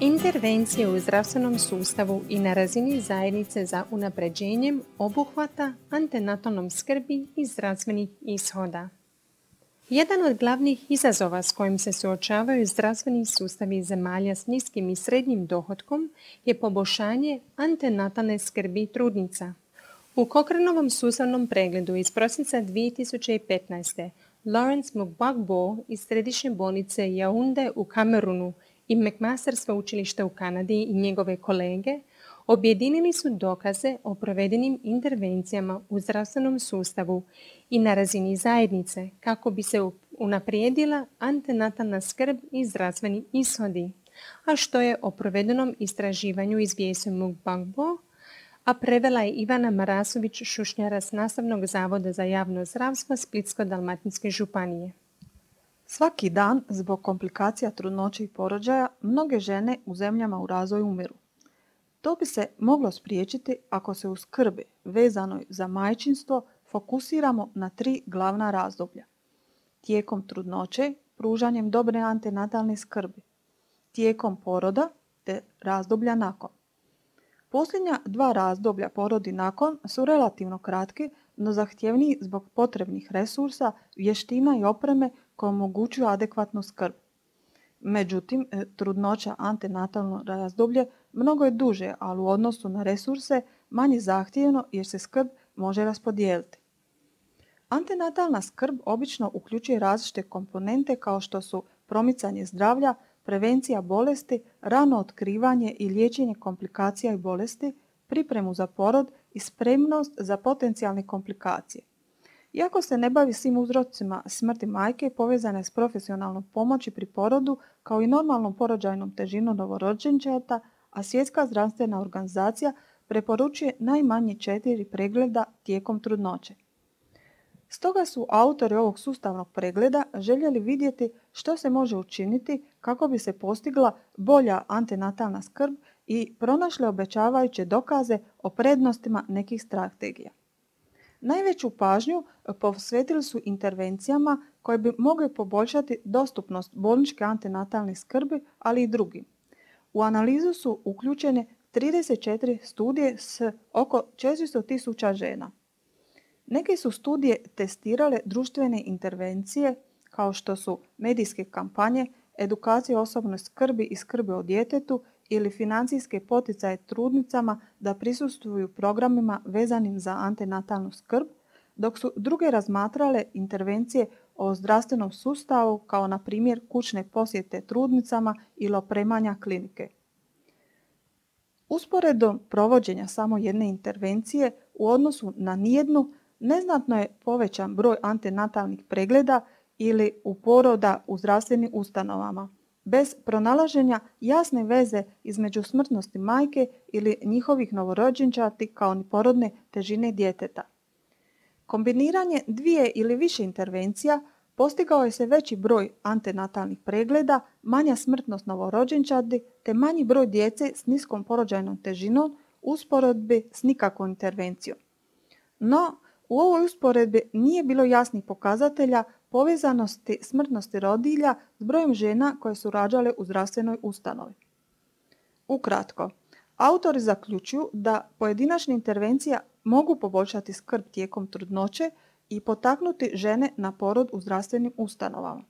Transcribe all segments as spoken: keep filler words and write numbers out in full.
Intervencije u zdravstvenom sustavu i na razini zajednice za unapređenjem obuhvata antenatalnom skrbi i zdravstvenih ishoda. Jedan od glavnih izazova s kojim se suočavaju zdravstveni sustavi zemalja s niskim i srednjim dohotkom je poboljšanje antenatalne skrbi trudnica. U Cochranovom sustavnom pregledu iz prosinca dvije tisuće petnaeste. Lawrence Mugwagbo iz Središnje bolnice Yaounde u Kamerunu i McMaster sveučilišta u Kanadi i njegove kolege objedinili su dokaze o provedenim intervencijama u zdravstvenom sustavu i na razini zajednice kako bi se unaprijedila antenatalna skrb i zdravstveni ishodi, a što je o provedenom istraživanju izvijestio Mugwagbo, a prevela je Ivana Marasović-Šušnjara s Nastavnog zavoda za javno zdravstvo Splitsko-dalmatinske županije. Svaki dan, zbog komplikacija trudnoće i porođaja, mnoge žene u zemljama u razvoju umiru. To bi se moglo spriječiti ako se u skrbi vezanoj za majčinstvo fokusiramo na tri glavna razdoblja. Tijekom trudnoće, pružanjem dobre antenatalne skrbi, tijekom poroda te razdoblja nakon. Posljednja dva razdoblja porod i nakon su relativno kratki, no zahtjevniji zbog potrebnih resursa, vještina i opreme koje omogućuju adekvatnu skrb. Međutim, trudnoća antenatalno razdoblje mnogo je duže, ali u odnosu na resurse manje zahtjevno jer se skrb može raspodijeliti. Antenatalna skrb obično uključuje različite komponente kao što su promicanje zdravlja, prevencija bolesti, rano otkrivanje i liječenje komplikacija i bolesti, pripremu za porod i spremnost za potencijalne komplikacije. Iako se ne bavi svim uzrocima smrti majke povezane s profesionalnom pomoći pri porodu kao i normalnom porođajnom težinom novorođenčeta, a Svjetska zdravstvena organizacija preporučuje najmanje četiri pregleda tijekom trudnoće. Stoga su autori ovog sustavnog pregleda željeli vidjeti što se može učiniti kako bi se postigla bolja antenatalna skrb i pronašli obećavajuće dokaze o prednostima nekih strategija. Najveću pažnju posvetili su intervencijama koje bi mogle poboljšati dostupnost bolničke antenatalne skrbi, ali i drugim. U analizu su uključene trideset četiri studije s oko četiristo tisuća žena. Neke su studije testirale društvene intervencije kao što su medijske kampanje, edukacija o osobnoj skrbi i skrbi o djetetu ili financijske poticaje trudnicama da prisustvuju programima vezanim za antenatalnu skrb, dok su druge razmatrale intervencije o zdravstvenom sustavu kao na primjer kućne posjete trudnicama ili opremanja klinike. Usporedom provođenja samo jedne intervencije u odnosu na nijednu neznatno je povećan broj antenatalnih pregleda ili u poroda u zdravstvenim ustanovama, bez pronalaženja jasne veze između smrtnosti majke ili njihovih novorođenčati kao ni porodne težine djeteta. Kombiniranje dvije ili više intervencija postigao je se veći broj antenatalnih pregleda, manja smrtnost novorođenčadi te manji broj djece s niskom porođajnom težinom u usporedbi s nikakvom intervencijom. No, u ovoj usporedbi nije bilo jasnih pokazatelja povezanosti smrtnosti rodilja s brojem žena koje su rađale u zdravstvenoj ustanovi. Ukratko, autori zaključuju da pojedinačne intervencije mogu poboljšati skrb tijekom trudnoće i potaknuti žene na porod u zdravstvenim ustanovama.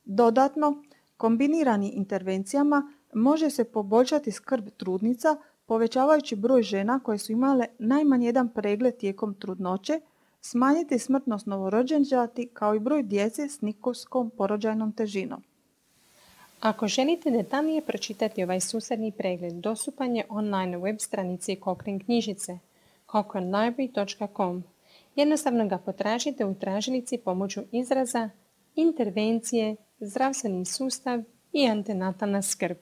Dodatno, kombiniranim intervencijama može se poboljšati skrb trudnica povećavajući broj žena koje su imale najmanje jedan pregled tijekom trudnoće, smanjiti smrtnost novorođenčati kao i broj djece s niskom porođajnom težinom. Ako želite detaljnije pročitati ovaj sustavni pregled, dostupan je online na web stranici Cochrane knjižnice cochrane library dot com. Jednostavno ga potražite u tražilici pomoću izraza intervencije, zdravstveni sustav i antenatalna skrb.